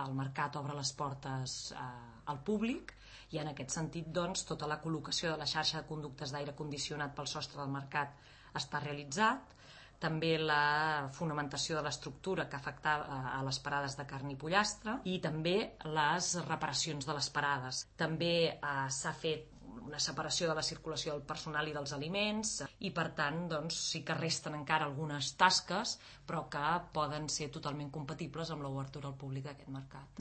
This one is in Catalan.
el mercat obre les portes al públic i en aquest sentit doncs, tota la col·locació de la xarxa de conductes d'aire condicionat pel sostre del mercat està realitzat, també la fonamentació de l'estructura que afectava a les parades de carn i pollastre i també les reparacions de les parades. També s'ha fet una separació de la circulació del personal i dels aliments i per tant doncs, sí que resten encara algunes tasques però que poden ser totalment compatibles amb l'obertura al públic d'aquest mercat.